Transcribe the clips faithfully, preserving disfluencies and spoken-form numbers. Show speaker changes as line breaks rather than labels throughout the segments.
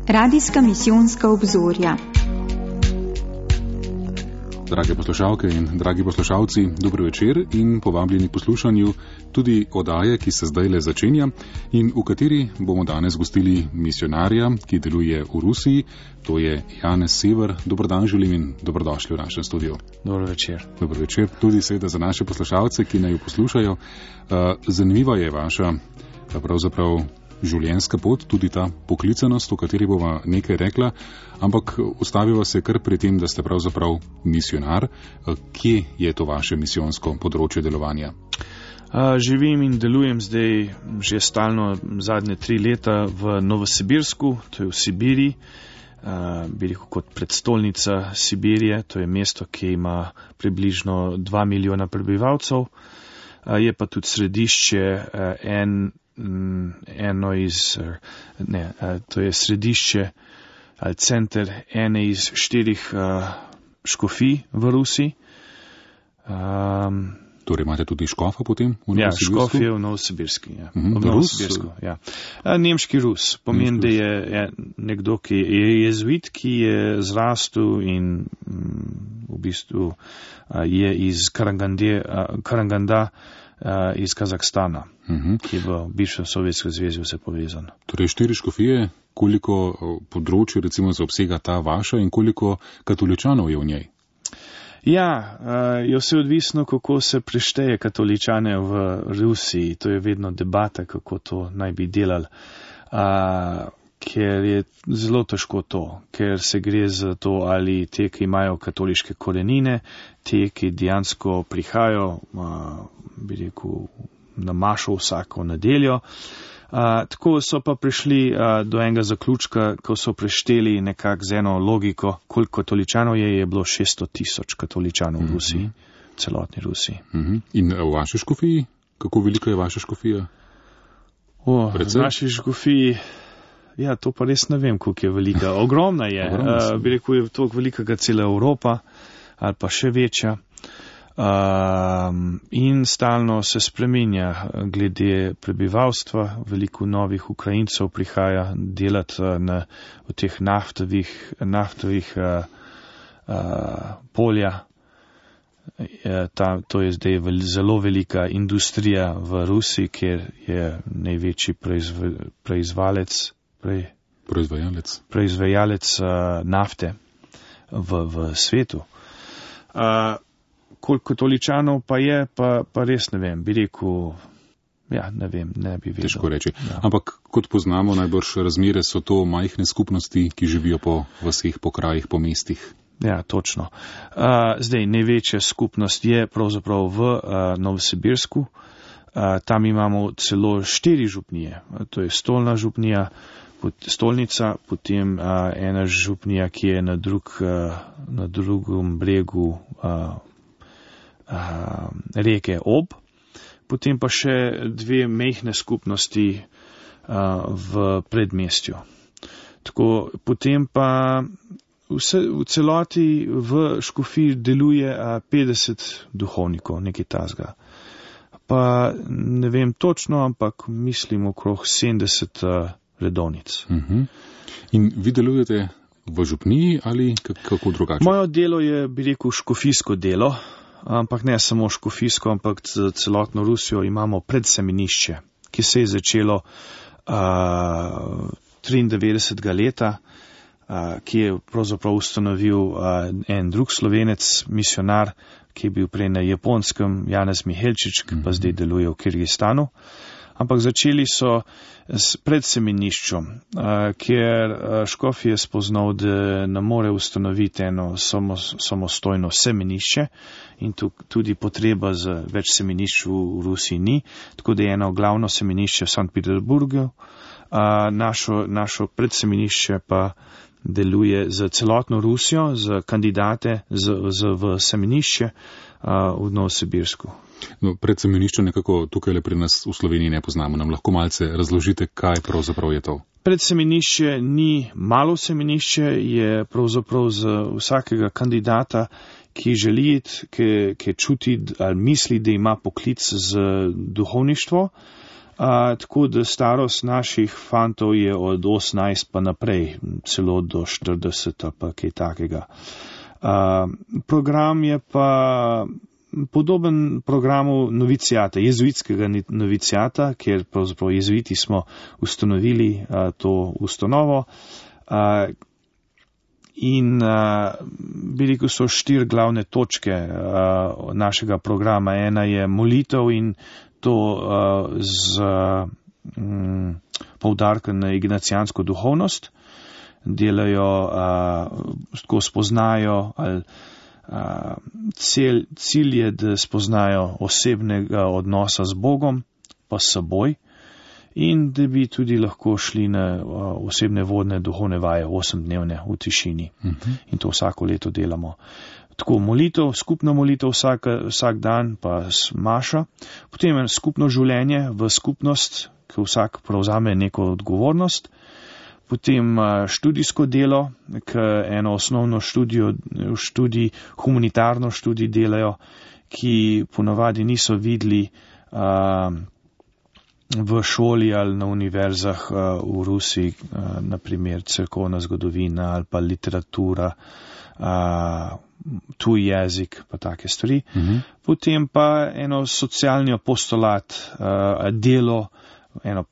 Radijska misijonska obzorja.
Drage poslušalke in dragi poslušalci, dobro večer in povabljeni poslušanju tudi oddaje, ki se zdaj le začenja in v kateri bomo danes gostili misionarja, ki deluje v Rusiji, to je Janez Sever. Dober dan želim in dobrodošli v našem studiu.
Dobro večer.
Dobro večer, tudi seveda za naše poslušalce, ki naj jo poslušajo. Zanimiva je vaša pravzaprav življenjska pot, tudi ta poklicanost, o kateri bova nekaj rekla, ampak ustaviva se kar pri tem, da ste pravzaprav misionar. Kje je to vaše misijonsko področje delovanja?
Živim in delujem zdaj že stalno zadnje tri leta v Novosibirsku, to je v Sibiriji, bi rekel kot predstolnica Sibirije, to je mesto, ki ima približno dva milijona prebivalcev, je pa tudi središče en eno iz, ne, to je središče ali center ene iz štirih uh, škofij v Rusiji. Um,
torej imate tudi škofa potem v
ja,
Novosibirsku?
Ja, škof je v Novosibirsku, ja.
Uh-huh.
V Novosibirsku, ja. Nemški Rus, pomeni, da je, je nekdo, ki je jezuit, ki je zrastel in um, v bistvu uh, je iz Karagande, uh, Karaganda, Uh, iz Kazahstana, uh-huh. ki je v bivšem Sovjetskem zvezi vse povezan.
Torej štiri škofije, koliko področje recimo zaobsega ta vaša in koliko katoličanov je v njej?
Ja, uh, je vse odvisno, kako se prešteje katoličane v Rusiji. To je vedno debata, kako to naj bi delali. Uh, ker je zelo težko to, ker se gre za to, ali te, ki imajo katoliške korenine, te, ki dejansko prihajajo, bi rekel, na mašo vsako nedeljo. Tako so pa prišli do enega zaključka, ko so prešteli nekako z eno logiko, koliko katoličanov je, je bilo šeststo tisoč katoličanov v Rusiji, v celotni Rusiji.
In v vaši škofiji? Kako velika je vaša škofija?
O, v naši škofiji... Ja, to pa res ne vem, koliko je velika. Ogromna je. uh, bi rekel, je toliko velika, kot cela Evropa, ali pa še večja. Uh, in stalno se spreminja glede prebivalstva. Veliko novih Ukrajincev prihaja delati na, v teh naftovih, naftovih uh, uh, polja. Ta, to je zdaj vel, zelo velika industrija v Rusiji, kjer je največji proizv, proizvalec Prej,
proizvajalec,
proizvajalec uh, nafte v, v svetu. Uh, koliko katoličanov pa je, pa, pa res ne vem, bi rekel, ja, ne vem, ne bi vedel.
Težko reči.
Ja.
Ampak kot poznamo najbrž razmere, so to majhne skupnosti, ki živijo po vaseh, po krajih, po mestih.
Ja, točno. Uh, zdaj, največja skupnost je pravzaprav v uh, Novosibirsku. Uh, tam imamo celo štiri župnije. To je stolna župnija, stolnica, potem uh, ena župnija, ki je na, drug, uh, na drugem bregu uh, uh, reke Ob, potem pa še dve mejhne skupnosti uh, v predmestju. Tako, potem pa vse, v celoti v škofiji deluje uh, petdeset duhovnikov, nekaj tasga. Pa ne vem točno, ampak mislim okrog sedemdeset uh, redovnic.
Uh-huh. In vi delujete v župniji ali kako drugače?
Moje delo je, bi rekel, škofijsko delo, ampak ne samo škofijsko, ampak za celotno Rusijo imamo predsemenišče, ki se je začelo uh, triindevetdesetega leta, uh, ki je pravzaprav ustanovil uh, en drug Slovenec, misionar, ki je bil prej na Japonskem, Janez Mihelčič, ki pa zdaj deluje v Kirgistanu. Ampak začeli so s predsemeniščem, kjer škof je spoznal, da ne more ustanoviti eno samostojno semenišče in tudi potreba za več semenišč v Rusiji ni, tako da je eno glavno semenišče v Sankt Peterburgu, našo, našo predsemenišče pa deluje za celotno Rusijo, za kandidate za, za v semenišče v Novosibirsku.
No, predsemenišče nekako tukaj le pri nas v Sloveniji ne poznamo. Nam lahko malce razložite, kaj pravzaprav je to?
Predsemenišče ni malo semenišče, je pravzaprav za vsakega kandidata, ki želi iti, ki, ki čuti ali misli, da ima poklic z duhovništvo, A, tako da starost naših fantov je od osemnajst pa naprej, celo do štirideset ali pa kaj takega. A, program je pa podoben programu novicijata, jezuitskega novicijata, kjer pravzaprav jezuiti smo ustanovili a, to ustanovo. A, in a, bi rekel, so štiri glavne točke a, našega programa. Ena je molitev in to uh, z um, poudarkom na ignacijansko duhovnost. Delajo, uh, tako spoznajo, ali uh, cel, cilj je, da spoznajo osebnega odnosa z Bogom, pa s seboj, in da bi tudi lahko šli na uh, osebne vodne duhovne vaje, osemdnevne v tišini. Uh-huh. In to vsako leto delamo. Tako molitev, skupna molitev vsak, vsak dan, pa maša, potem je skupno življenje v skupnost, ki vsak prevzame neko odgovornost, potem študijsko delo, ki eno osnovno študijo, študij, humanitarno študij delajo, ki ponavadi niso videli a, v šoli ali na univerzah a, v Rusiji, a, naprimer cerkovna zgodovina ali pa literatura, a, tuj jezik, pa take stvari. Uh-huh. Potem pa eno socialni apostolat, uh, delo, eno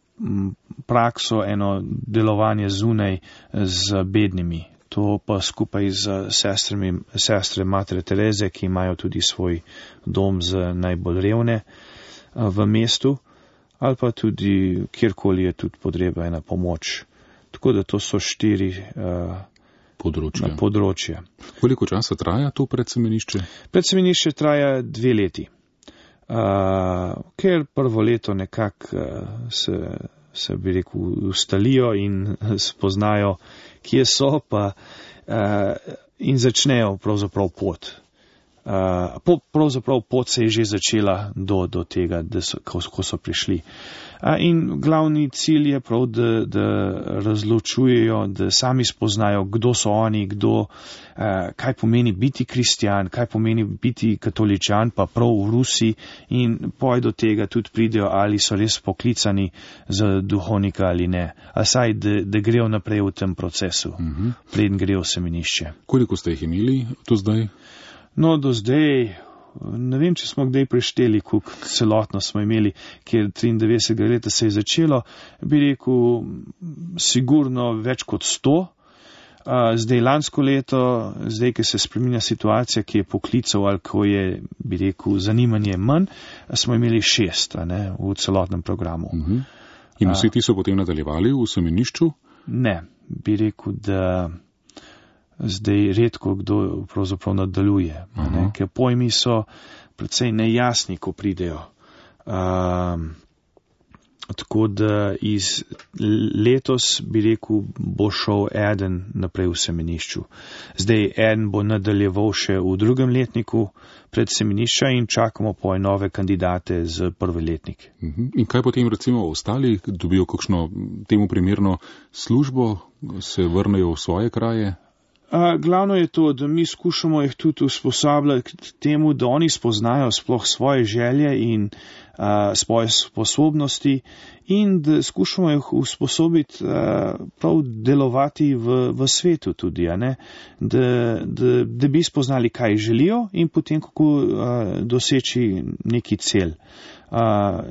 prakso, eno delovanje zunaj z bednimi. To pa skupaj z sestrami, sestre Matere Tereze, ki imajo tudi svoj dom za najbolj revne uh, v mestu, ali pa tudi kjerkoli je tudi potrebna pomoč. Tako da to so štiri uh,
Področje.
področje.
Koliko časa traja to predsemenišče?
Predsemenišče traja dve leti. Uh, ker prvo leto nekako uh, se, se bi rekel, ustalijo in spoznajo, kje so, pa uh, in začnejo pravzaprav pot. Uh, po, pravzaprav pot se je že začela do, do tega, da so, ko, ko so prišli. Uh, in glavni cilj je prav, da, da razločujejo, da sami spoznajo, kdo so oni, kdo, uh, kaj pomeni biti kristjan, kaj pomeni biti katoličan, pa prav v Rusiji, in poj do tega tudi pridejo, ali so res poklicani za duhovnika ali ne. A saj, da, da grejo naprej v tem procesu, uh-huh. preden grejo v semenišče.
Koliko ste jih imeli do zdaj?
No, do zdaj, ne vem, če smo kdaj prešteli, koliko celotno smo imeli, ker triindevetdesetega leta se je začelo, bi rekel, sigurno več kot sto. Zdaj lansko leto, zdaj, ki se spreminja situacija, ki je poklical ali ko je, bi rekel, zanimanje manj, smo imeli šest, a ne, v celotnem programu. Uh-huh.
In vsi ti so potem nadaljevali v semenišču?
Ne, bi rekel, da zdaj redko kdo pravzaprav nadaljuje, ne, ker pojmi so precej nejasni, ko pridejo. Um, tako da iz letos, bi rekel, bo šel eden naprej v semenišču. Zdaj eden bo nadaljeval še v drugem letniku pred semenišča in čakamo po nove kandidate za prvi letnik.
In kaj potem recimo ostali, dobijo kakšno temu primerno službo, se vrnejo v svoje kraje?
Uh, glavno je to, da mi skušamo jih tudi usposabljati k temu, da oni spoznajo sploh svoje želje in uh, svoje sposobnosti in da skušamo jih usposobiti uh, prav delovati v, v svetu tudi, a ne? Da, da, da bi spoznali, kaj želijo in potem kako uh, doseči neki cel, uh,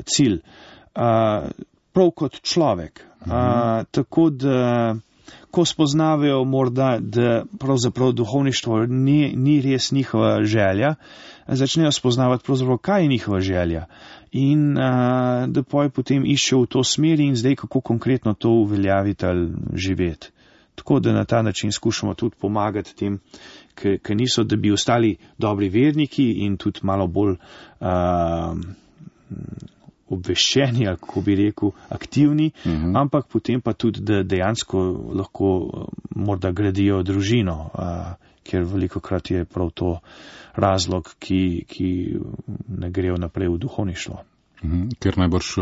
cilj. Uh, prav kot človek. Uh, tako da ko spoznavajo morda, da pravzaprav duhovništvo ni, ni res njihova želja, začnejo spoznavati pravzaprav, kaj je njihova želja. In a, da poj potem iščejo v to smer in zdaj kako konkretno to uveljaviti ali živeti. Tako da na ta način skušamo tudi pomagati tem, ki niso, da bi ostali dobri verniki in tudi malo bolj a, obveščeni, ali kako bi rekel, aktivni, uh-huh. ampak potem pa tudi, da dejansko lahko morda gradijo družino, a, ker veliko krat je prav to razlog, ki, ki ne grejo naprej v duhovništvo.
Uh-huh. Ker najbrž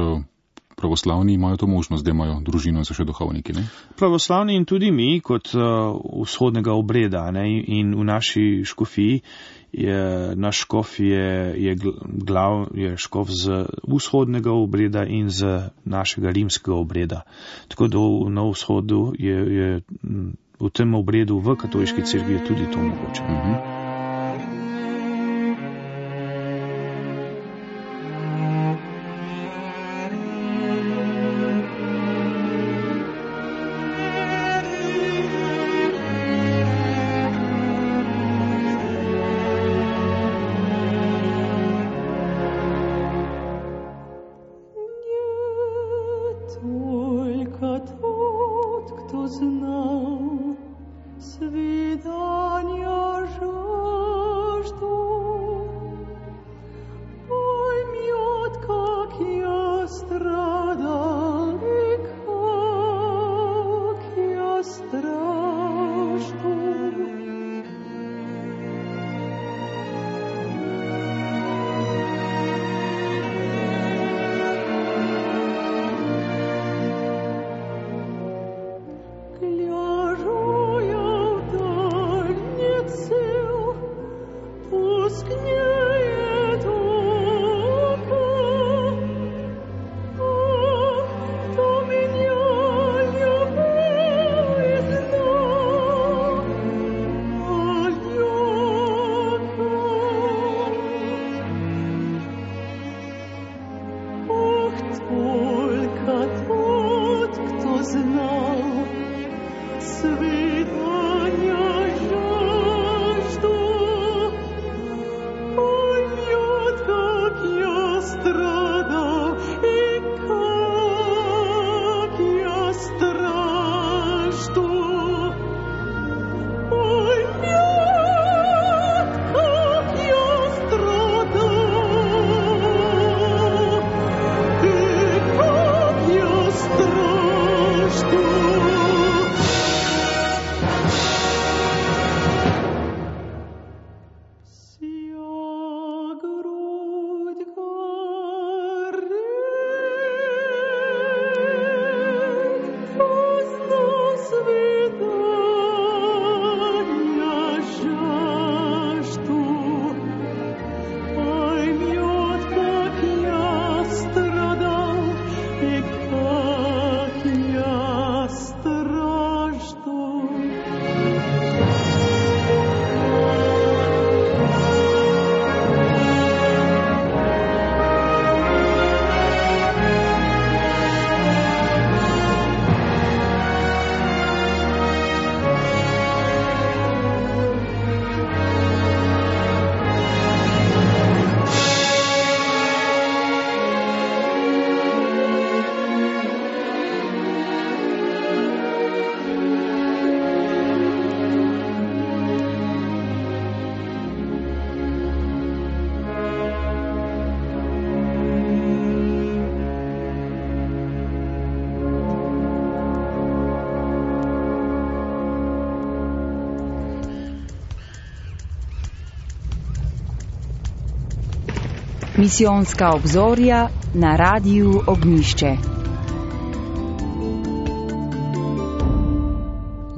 pravoslavni imajo to možnost, da imajo družino in so še duhovniki, ne?
Pravoslavni in tudi mi kot uh, vzhodnega obreda, ne? In v naši škofiji je, naš škof je, je glav, je škof z vzhodnega obreda in z našega rimskega obreda. Tako da na vzhodu je, je v tem obredu v katoliški cerkvi je tudi to mogoče.
Mhm.
Misijonska obzorja na Radiu Ognjišče.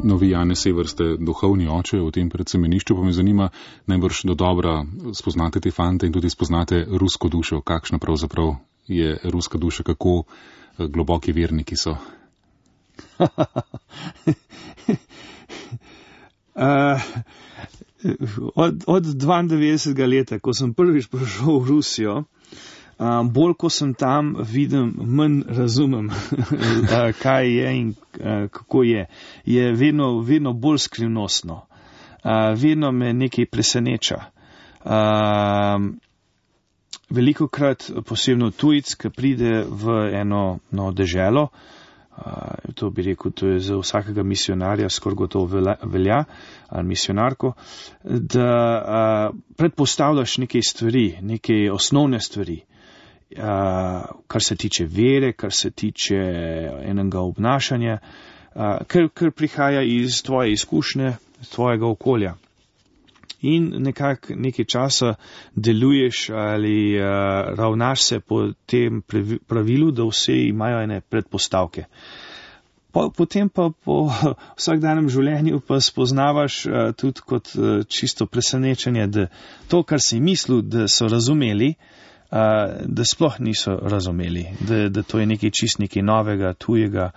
Novi Janez Sever, ste duhovni oče v tem predsemenišču, pa me zanima, najbrž do dobra spoznate te fante in tudi spoznate rusko dušo. Kakšna pravzaprav je ruska duša, kako globoki verniki so?
uh, od, od dvaindevetdesetega leta, ko sem prvič prišel v Rusijo, um, bolj ko sem tam, vidim, manj razumem, kaj je in uh, kako je. Je vedno, vedno bolj skrivnostno. Uh, vedno me nekaj preseneča. Uh, veliko krat, posebno tujec, ki pride v eno no, deželo, Uh, to bi rekel, to je za vsakega misionarja skoraj gotovo velja, ali misionarko, da uh, predpostavljaš nekaj stvari, nekaj osnovne stvari, uh, kar se tiče vere, kar se tiče enega obnašanja, uh, kar, kar prihaja iz tvoje izkušnje, iz tvojega okolja. in nekako nekaj časa deluješ ali uh, ravnaš se po tem pravilu, da vse imajo ene predpostavke. Po, potem pa po vsakdanjem življenju pa spoznavaš uh, tudi kot uh, čisto presenečenje, da to, kar si mislil, da so razumeli, uh, da sploh niso razumeli, da, da to je nekaj čist nekaj novega, tujega.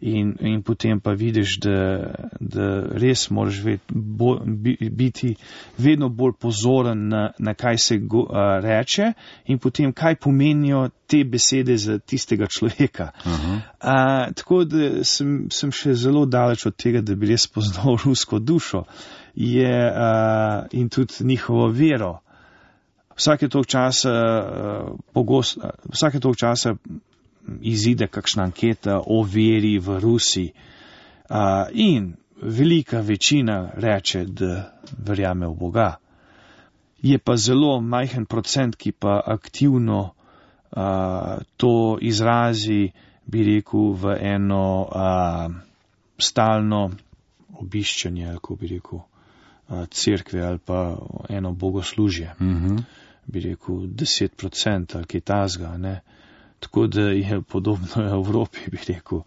In, in potem pa vidiš, da, da res moraš ved, bo, biti vedno bolj pozoren na, na kaj se go, a, reče in potem kaj pomenijo te besede za tistega človeka. Uh-huh. A, tako da sem, sem še zelo daleč od tega, da bi res poznal rusko dušo je, a, in tudi njihovo vero. Vsake tog časa, a, pogost, a, vsake tog časa izide kakšna anketa o veri v Rusiji uh, in velika večina reče, da verjame v Boga. Je pa zelo majhen procent, ki pa aktivno uh, to izrazi, bi rekel, v eno uh, stalno obiščanje, ali ko bi rekel, uh, cerkve ali pa eno bogoslužje. Mm-hmm. Bi rekel, deset procent ali kaj tazga, ne. Tako da je podobno v Evropi, bi rekel.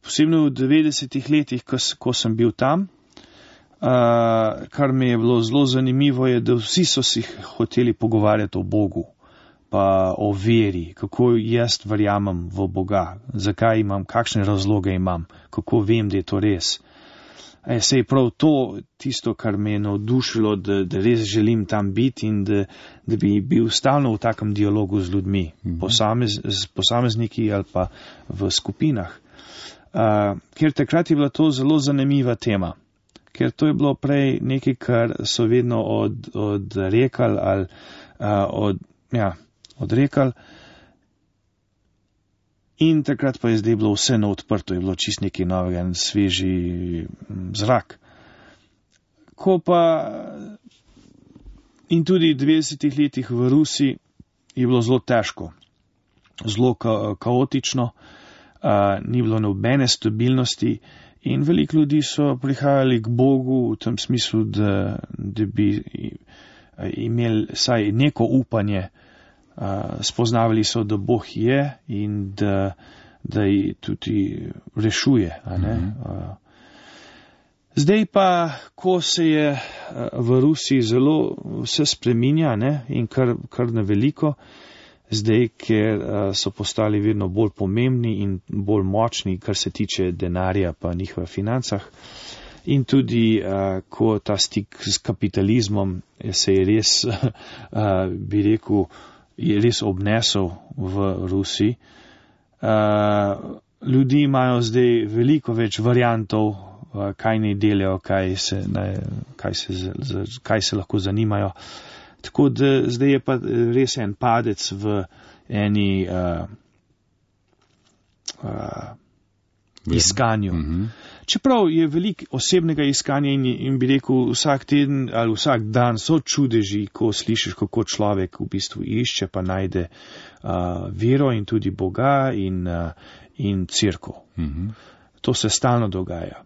Posebno v devetdesetih letih, ko, ko sem bil tam, uh, kar mi je bilo zelo zanimivo, je, da vsi so si hoteli pogovarjati o Bogu, pa o veri, kako jaz verjamem v Boga, zakaj imam, kakšne razloge imam, kako vem, da je to res. E, se je prav to tisto, kar me je navdušilo, da, da res želim tam biti in da, da bi bil stalno v takem dialogu z ljudmi, mm-hmm. posamez, z posamezniki ali pa v skupinah. Uh, ker takrat je bila to zelo zanimiva tema, ker to je bilo prej nekaj, kar so vedno od, odrekali ali uh, od, ja, odrekali. In takrat pa je zdaj bilo vse na odprto, je bilo čist nekaj novega, en sveži zrak. Ko pa in tudi v devetdesetih letih v Rusiji je bilo zelo težko, zelo ka- kaotično, a, ni bilo nobene stabilnosti in veliko ljudi so prihajali k Bogu v tem smislu, da, da bi imeli saj neko upanje. Uh, spoznavali so, da Bog je in da, da ji tudi rešuje. A ne? Mm-hmm. Uh, zdaj pa, ko se je uh, v Rusiji zelo vse spreminja, ne? In kar, kar na veliko, zdaj, ker uh, so postali vedno bolj pomembni in bolj močni, kar se tiče denarja pa njihovih financah. In tudi, uh, ko ta stik s kapitalizmom se je res, uh, bi rekel, je res obnesel v Rusiji. Uh, ljudi imajo zdaj veliko več variantov, uh, kaj naj delajo, kaj se, ne, kaj, se, z, kaj se lahko zanimajo. Tako da zdaj je pa res en padec v eni uh, uh, iskanju. Mm-hmm. Čeprav je veliko osebnega iskanja in, in bi rekel vsak teden ali vsak dan so čudeži, ko slišiš, kako človek v bistvu išče pa najde uh, vero in tudi Boga in, uh, in cerkev. Mm-hmm. To se stalno dogaja.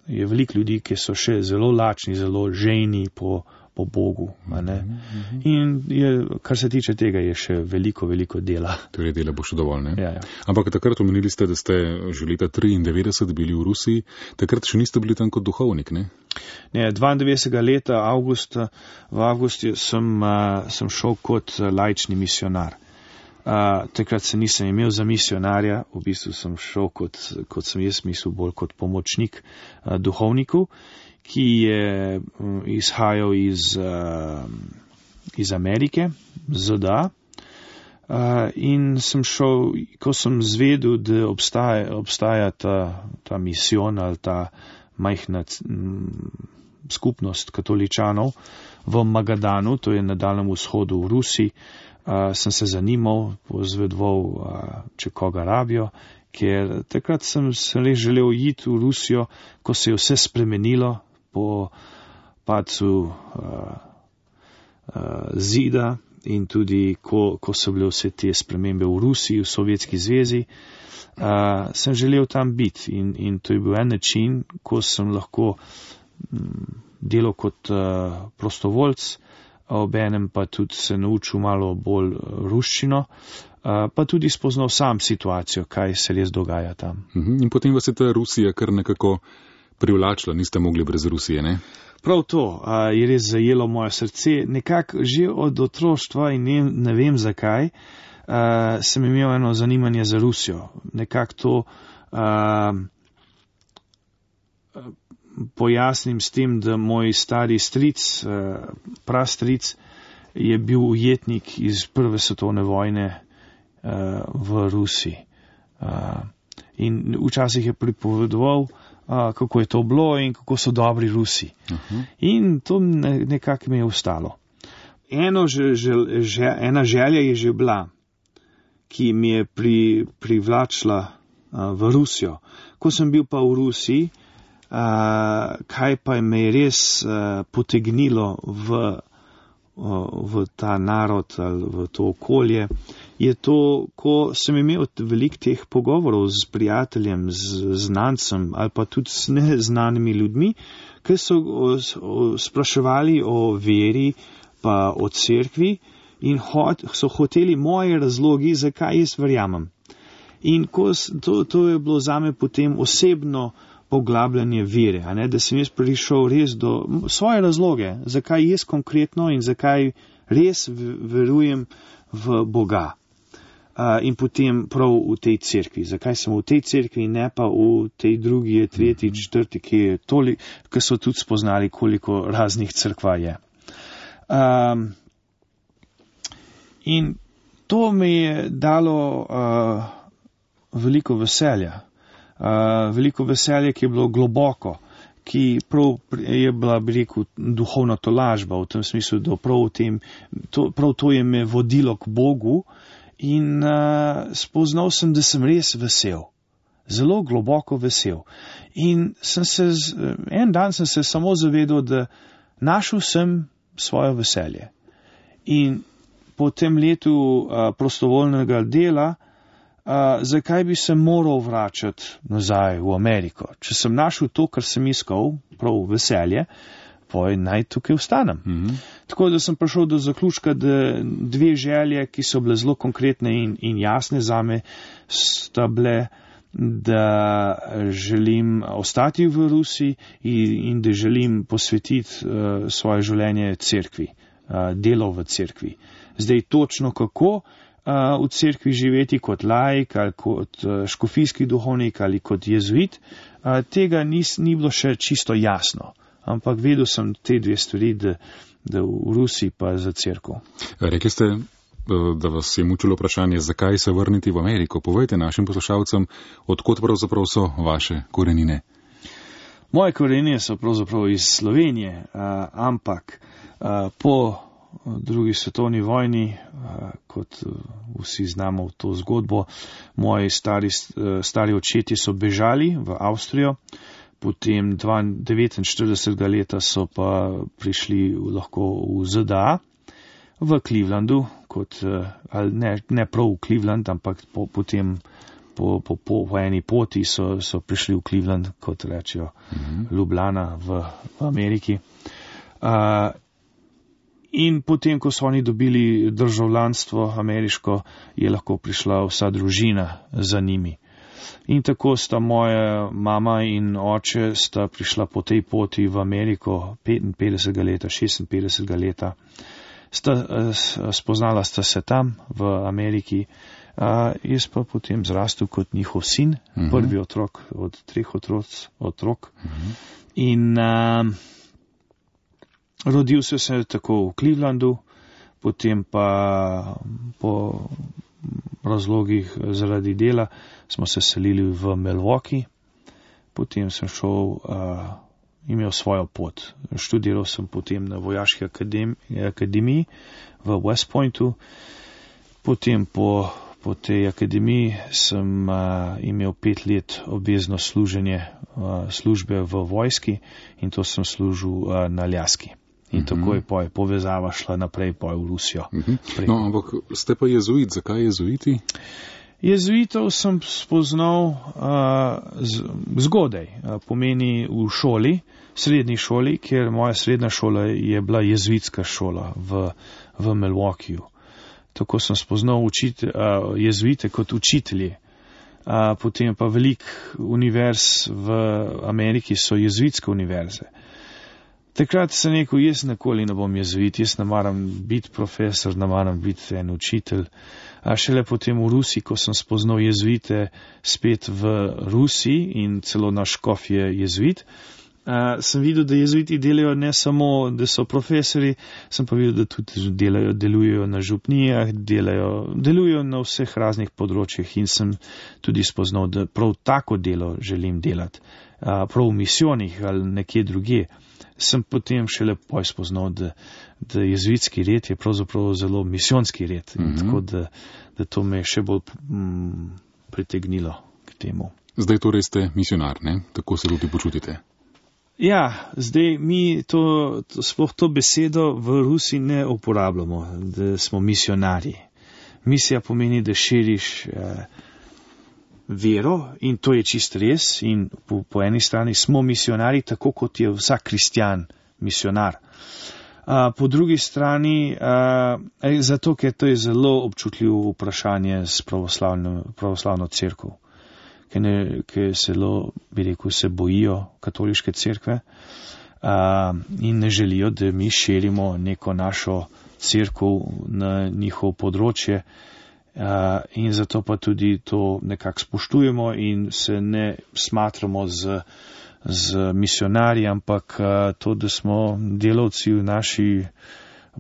Je veliko ljudi, ki so še zelo lačni, zelo žejni po, po Bogu. A ne? Mm-hmm. In je, kar se tiče tega, je še veliko, veliko dela.
Torej dela bo še dovolj, ne?
Ja, ja.
Ampak takrat omenili ste, da ste že leta triindevetdeset bili v Rusiji. Takrat še niste bili tam kot duhovnik, ne?
Ne, dvaindevetdesetega leta, avgusta, v avgustu sem, uh, sem šel kot uh, laični misionar. Uh, takrat se nisem imel za misionarja, v bistvu sem šel kot, kot sem jaz mislil, bolj kot pomočnik uh, duhovniku, ki je um, izhajal iz, uh, iz Amerike, Z D A. Uh, in sem šel, ko sem zvedel, da obstaja, obstaja ta, ta misijon ali ta majhna m, skupnost katoličanov v Magadanu, to je na Daljnem vzhodu v Rusiji. Uh, sem se zanimal, pozvedoval, uh, če koga rabijo, ker takrat sem se res želel iti v Rusijo, ko se je vse spremenilo po padcu uh, uh, zida in tudi ko, ko so bile vse te spremembe v Rusiji, v Sovjetski zvezi, uh, sem želel tam biti in, in to je bil en način, ko sem lahko um, delal kot uh, prostovoljc, obenem pa tudi se naučil malo bolj ruščino, uh, pa tudi spoznal sam situacijo, kaj se res dogaja tam.
Uh-huh. In potem vas je ta Rusija kar nekako privlačila, niste mogli brez Rusije, ne?
Prav to uh, je res zajelo moje srce, nekako že od otroštva in ne, ne vem zakaj, uh, sem imel eno zanimanje za Rusijo. Nekako to uh, pojasnim s tem, da moj stari stric, uh, prastric, je bil ujetnik iz prve svetovne vojne uh, v Rusiji. Uh, in včasih je pripovedoval, Uh, kako je to bilo in kako so dobri Rusi. Uh-huh. In to ne, nekako mi je ostalo. Eno že, že, že, ena želja je že bila, ki mi je pri, privlačila uh, v Rusijo. Ko sem bil pa v Rusiji, uh, kaj pa me je res uh, potegnilo v, uh, v ta narod ali v to okolje, je to, ko sem imel veliko teh pogovorov z prijateljem, z znancem ali pa tudi s neznanimi ljudmi, ki so o, o, spraševali o veri pa o cerkvi in hot, so hoteli moje razlogi, zakaj jaz verjamem. In ko, to, to je bilo zame potem osebno poglabljanje vere, a ne, da sem jaz prišel res do svoje razloge, zakaj jaz konkretno in zakaj res verujem v Boga. Uh, in potem prav v tej cerkvi. Zakaj sem v tej cerkvi, ne pa v tej drugi, tretji, četrti, ki, toli, ki so tudi spoznali, koliko raznih cerkva je. Um, in to mi je dalo uh, veliko veselja. Uh, veliko veselja, ki je bilo globoko, ki prav je bila, bi rekel, duhovna tolažba, v tem smislu, da prav, v tem, to, prav to je me vodilo k Bogu. In uh, spoznal sem, da sem res vesel, zelo globoko vesel. In sem se, en dan sem se samo zavedal, da našel sem svoje veselje. In po tem letu uh, prostovoljnega dela, uh, zakaj bi se moral vračati nazaj v Ameriko? Če sem našel to, kar sem iskal, prav veselje, poj naj tukaj ostanem. Mm-hmm. Tako da sem prišel do zaključka, da dve želje, ki so bile zelo konkretne in, in jasne zame, sta bile, da želim ostati v Rusiji in, in da želim posvetiti uh, svoje življenje cerkvi, uh, delo v cerkvi. Zdaj točno kako uh, v cerkvi živeti kot laik ali kot uh, škofijski duhovnik ali kot jezuit, uh, tega nis, ni bilo še čisto jasno. Ampak vedel sem te dve stvari, da, da v Rusiji pa za cerkev.
Rekli ste, da vas je mučilo vprašanje, zakaj se vrniti v Ameriko. Povejte našim poslušalcem, odkot pravzaprav so vaše korenine.
Moje korenine so pravzaprav iz Slovenije, uh, ampak uh, po drugi svetovni vojni, uh, kot uh, vsi znamo v to zgodbo, moji stari, uh, stari očetje so bežali v Avstrijo. Potem devetinštiridesetega leta so pa prišli lahko v Z D A, v Clevelandu, kot, ali ne, ne prav v Cleveland, ampak po, potem po, po, po, po eni poti so, so prišli v Cleveland, kot rečejo, mm-hmm. Ljubljana v, v Ameriki. Uh, in potem, ko so oni dobili državljanstvo ameriško, je lahko prišla vsa družina za njimi. In tako sta moja mama in oče sta prišla po tej poti v Ameriko petinpetdesetega leta, šestinpetdesetega leta. Sta, spoznala sta se tam v Ameriki. A, jaz pa potem zrastel kot njihov sin, uh-huh. prvi otrok od treh otroc, otrok. Uh-huh. In a, rodil se se tako v Clevelandu, potem pa po razlogih zaradi dela smo se selili v Milwaukee, potem sem šel, uh, imel svojo pot. Študiral sem potem na vojaški akademiji, akademiji v West Pointu, potem po, po tej akademiji sem uh, imel pet let obvezno služenje uh, službe v vojski in to sem služil uh, na Aljaski. In mm-hmm. tako je poj, povezava šla naprej poj v Rusijo.
Mm-hmm. No, ampak ste pa jezuit, zakaj jezuiti?
Jezuitov sem spoznal uh, z, zgodaj, uh, pomeni v šoli, srednji šoli, ker moja srednja šola je bila jezuitska šola v, v Milwaukeeju. Tako sem spoznal učite, uh, jezuite kot učitelji. Uh, potem pa velik univerz v Ameriki so jezuitske univerze. Takrat sem rekel, jaz nikoli ne bom jezuit, jaz ne maram biti profesor, ne maram biti en učitelj. A šele potem v Rusiji, ko sem spoznal jezuite spet v Rusiji in celo naš škof je jezuit, a, sem videl, da jezuiti delajo ne samo, da so profesori, sem pa videl, da tudi delajo, delujejo na župnijah, delajo, delujejo na vseh raznih področjih in sem tudi spoznal, da prav tako delo želim delati, a, prav v misijonih ali nekje drugje. Sem potem šele poj spoznal, da, da jezuitski red je pravzaprav zelo misijonski red. Mm-hmm. Tako da, da to me je še bolj mm, pritegnilo k temu.
Zdaj torej ste misionar, ne? Tako se tudi počutite?
Ja, zdaj mi to, to, sploh to besedo v Rusiji ne uporabljamo, da smo misionarji. Misija pomeni, da širiš eh, vero in to je čist res in po, po eni strani smo misionari, tako kot je vsak kristjan misionar. A, po drugi strani, a, zato ker to je zelo občutljivo vprašanje s pravoslavno, pravoslavno cerkev, ker, ne, ker zelo, bi rekel, se bojijo katoliške cerkve a, in ne želijo, da mi širimo neko našo cerkev na njihov področje. Uh, in zato pa tudi to nekako spoštujemo in se ne smatramo z, z misionarji, ampak uh, to, da smo delavci v naši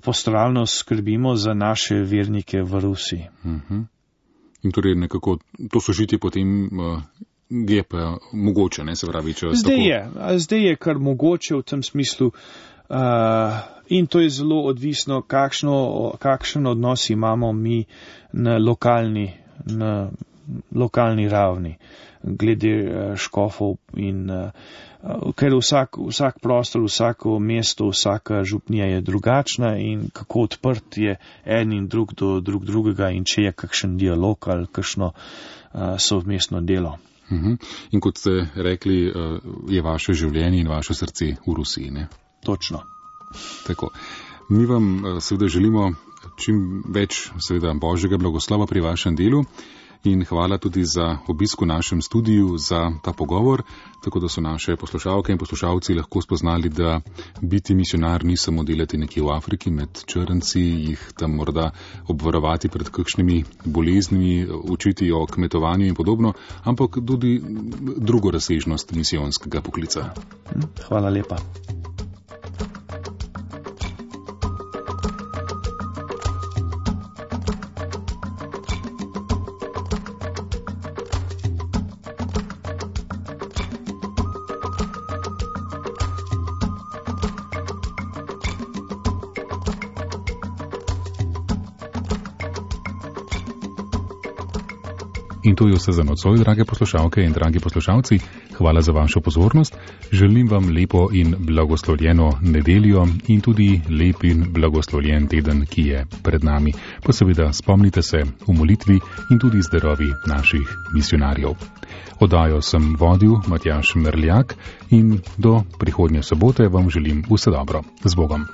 pastoralno skrbimo za naše vernike v Rusiji.
Uh-huh. In torej nekako to sožitje potem uh, je pa mogoče, ne se pravi, če
zdaj tako... je, zdaj je kar mogoče v tem smislu. Uh, in to je zelo odvisno, kakšno, kakšen odnos imamo mi na lokalni, na lokalni ravni, glede uh, škofov in uh, ker vsak, vsak prostor, vsako mesto, vsaka župnija je drugačna in kako odprt je en in drug do drug drugega in če je kakšen dialog ali kakšno uh, sovmestno delo.
Uh-huh. In kot ste rekli, uh, je vaše življenje in vaše srce v Rusiji, ne?
Točno.
Tako. Mi vam seveda želimo čim več seveda Božjega blagoslova pri vašem delu in hvala tudi za obisk v našem studiu, za ta pogovor, tako da so naše poslušalke in poslušalci lahko spoznali, da biti misionar ni samo delati nekje v Afriki med črnci, jih tam morda obvarovati pred kakšnimi boleznimi, učiti o kmetovanju in podobno, ampak tudi drugo razsežnost misijonskega poklica.
Hvala lepa.
In to je vse za nocoj, drage poslušalke in dragi poslušalci. Hvala za vašo pozornost. Želim vam lepo in blagoslovljeno nedeljo in tudi lep in blagoslovljen teden, ki je pred nami. Pa seveda spomnite se v molitvi in tudi zdarovi naših misionarjev. Oddajo sem vodil Matjaž Merljak in do prihodnje sobote vam želim vse dobro. Z Bogom.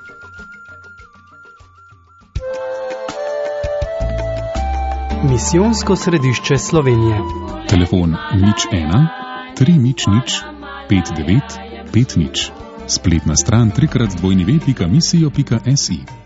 Misijonsko središče Slovenije.
Telefon nič ena, tri nič nič, pet devet, pet nič. Spletna stran trikrat dvojni ve pika misijo pika si.